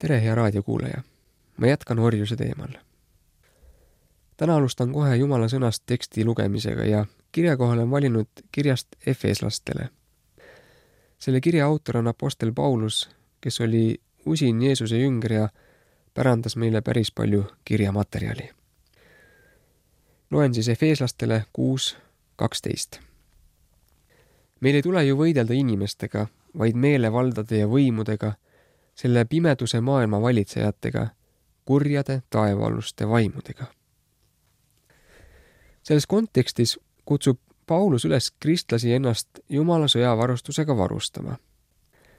Tere, hea raadiokuulaja! Ma jätkan orjuse teemal. Täna alustan kohe Jumala sõnast teksti lugemisega ja kirja kohal on valinud kirjast Efeslastele. Selle kirja autor on apostel Paulus, kes oli usin Jeesuse jünger ja pärandas meile päris palju kirjamaterjali. Loen siis Efeslastele 6:12. Meil ei tule ju võidelda inimestega, vaid meelevaldade ja võimudega, selle pimeduse maailma valitsejatega, kurjade taevaaluste vaimudega. Selles kontekstis kutsub Paulus üles kristlasi ennast Jumala sõjavarustusega varustama.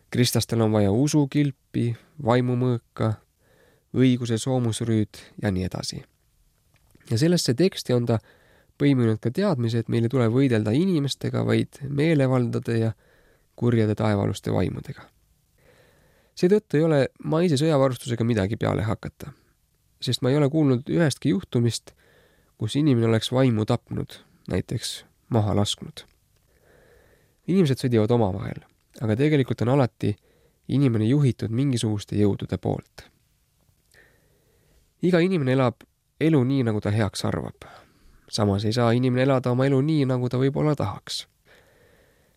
Kristlastel on vaja usukilpi, vaimumõõka, õiguse soomusrüüd ja nii edasi. Ja sellesse teksti on ta põiminud ka teadmise, et meil ei tule võidelda inimestega, vaid meelevaldade ja kurjade taevaaluste vaimudega. Seetõttu ei ole maise sõjavarustusega midagi peale hakata, sest ma ei ole kuulnud ühestki juhtumist, kus inimene oleks vaimu tapnud, näiteks maha lasknud. Inimesed sõdivad omavahel, aga tegelikult on alati inimene juhitud mingisuguste jõudude poolt. Iga inimene elab elu nii, nagu ta heaks arvab. Samas ei saa inimene elada oma elu nii, nagu ta võib-olla tahaks,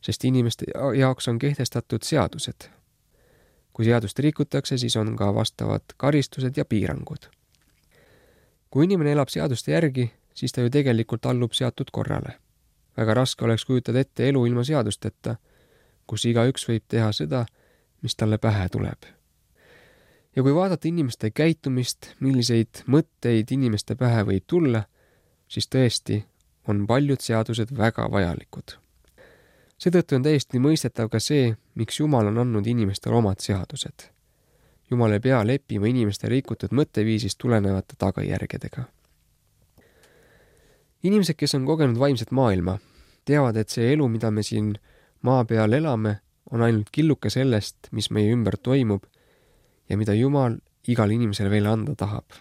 sest inimeste jaoks on kehtestatud seadused. Kui seadust rikutakse, siis on ka vastavad karistused ja piirangud. Kui inimene elab seaduste järgi, siis ta ju tegelikult allub seatud korrale. Väga raske oleks kujutada ette elu ilma seadusteta, kus igaüks võib teha seda, mis talle pähe tuleb. Ja kui vaadata inimeste käitumist, milliseid mõtteid inimeste pähe võib tulla, siis tõesti on paljud seadused väga vajalikud. Seetõttu on täiesti mõistetav ka see, miks Jumal on andnud inimestele omad seadused. Jumal ei pea leppima inimeste rikutud mõtteviisist tulenevate tagajärgedega. Inimesed, kes on kogenud vaimset maailma, teavad, et see elu, mida me siin maa peal elame, on ainult killuke sellest, mis meie ümber toimub ja mida Jumal igal inimesel veel anda tahab.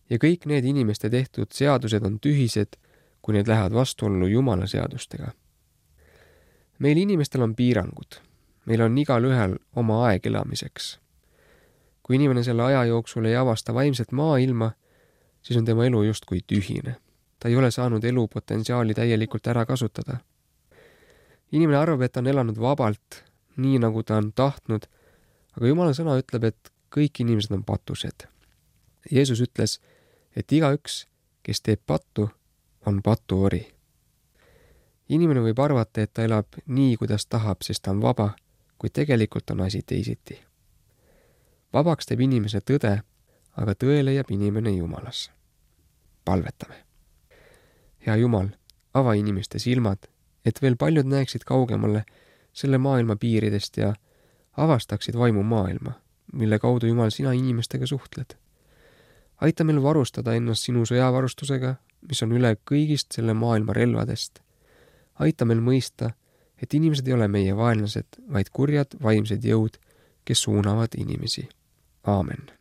Ja kõik need inimeste tehtud seadused on tühised, kui need lähevad vastuollu Jumala seadustega. Meil inimestel on piirangud. Meil on igal ühel oma aeg elamiseks. Kui inimene selle aja jooksul ei avasta vaimset maailma, siis on tema elu justkui tühine. Ta ei ole saanud elu potentsiaali täielikult ära kasutada. Inimene arvab, et ta on elanud vabalt, nii nagu ta on tahtnud, aga Jumala sõna ütleb, et kõik inimesed on patused. Jeesus ütles, et igaüks, kes teeb pattu, on patuori. Inimene võib arvata, et ta elab nii, kuidas tahab, sest ta on vaba, kuid tegelikult on asi teisiti. Vabaks teeb inimese tõde, aga tõe leiab inimene Jumalas. Palvetame. Hea Jumal, ava inimeste silmad, et veel paljud näeksid kaugemale selle maailma piiridest ja avastaksid vaimu maailma, mille kaudu Jumal sina inimestega suhtled. Aita meil varustada ennast sinu sõjavarustusega, mis on üle kõigist selle maailma relvadest. Aita meil mõista, et inimesed ei ole meie vaenlased, vaid kurjad vaimsed jõud, kes suunavad inimesi. Aamen.